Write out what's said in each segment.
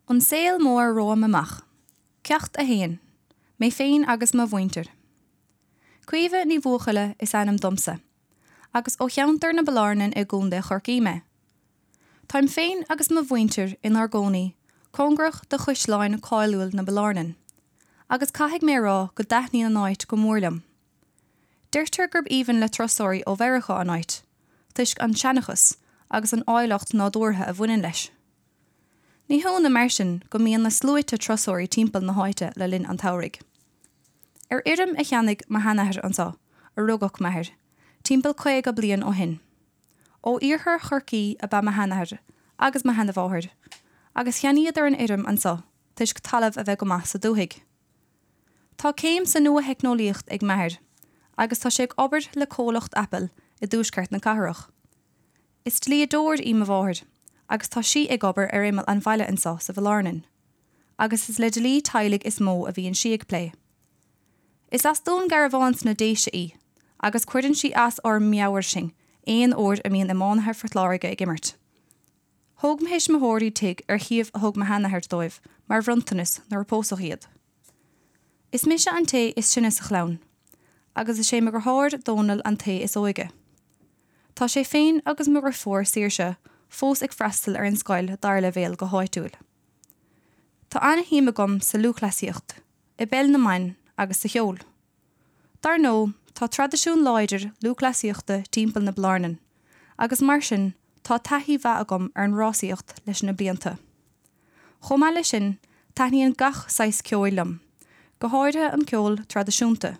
An saol mór romham amach. Ceacht 1, Mé féin agus mo mhuintir. Caoimhe Ní Bhuachalla is ainm domsa, agus ó cheantar na Blarnan i gContae Chorcaí mé. Táim féin agus mo mhuintir inár gcónaí cóngarach do chaisleán cáiliúil na Blarnan, agus caithfidh mé a rá go dtaitníonn an áit go mór liom. Deirtear gurb aoibhinn le turasóirí ó Mheiriceá an áit, toisc an seanchas agus an áilleacht nádúrtha a bhaineann leis. Ní hionadh mar sin go mbíonn na sluaite turasóirí timpeall na háite le linn an tsamhraidh. Ar fheirm a cheannaigh mo sheanathair anseo a rugadh m'athair, timpeall 50 bliain ó shin. Ó iarthar Chorcaí ab ea mo sheanathair agus mo sheanamháthair agus cheannaíodar an fheirm anseo toisc talamh a bheith go maith sa dúthaigh. Tá céim sa nua-theicneolaíocht ag m'athair agus tá sé ag obair le comhlacht Apple i dtuaisceart na cathrach. Is dlíodóir í mo mháthair agus tá sí ag obair ar imeall an bhaile anseo sa Bhelarnan, agus is le dlí teaghlaigh is mó a bhíonn sí ag plé. Is as Dún Garbhán sna Déise í agus cuireann sí as ár meabhair sinn aon uair a mbíonn iománaithe Phort Láirge ag imirt. Thóg mo thuismitheoirí tigh ar shuíomh a thug mo sheanathair dóibh mar bhronntanas nuair a pósadh iad. Is mise an té is sine sa chlann, agus is é mo dheartháir Dónal an té is óige. Tá sé féin agus mo dheirfiúr Saoirse fós ag freastal ar an scoil dara leibhéal go háitiúil. Tá an-shuim agam sa lúthchleasaíocht, i bpeil na mban agus sa cheol. Dar ndóigh, tá traidisiún láidir lúthchleasaíochta timpeall na Blarnan agus mar sin tá taithí mhaith agam ar an rásaíocht leis na blianta. Chomh maith leis sin, taitníonn gach saghas ceoil liom, go háirithe an ceol traidisiúnta.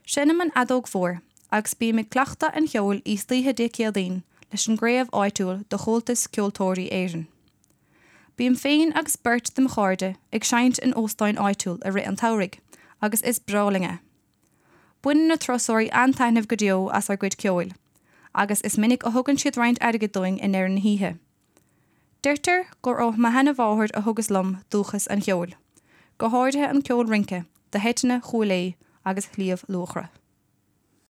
Seinnim an fheadóg mhór agus bím ag cleachtadh an cheoil istoíche Dé Céadaoin leis an gcraobh áitiúil de Chomhaltas Ceoltóirí Éireann. Bím féin agus beirt de mo chairde ag seinnt in óstáin áitiúil i rith an tsamhraidh agus is breá linn é. Baineann na turasóirí an-taitneamh go deo as ár gcuid ceoil agus is minic a thugann siad roinnt airgid dúinn i ndeireadh na hoíche. Deirtear gur ó mo sheana-mháthair a thugas liom dúchas an cheoil, go háirithe an ceol rince do sheiteanna Chúil Aodha agus Shliabh Luachra.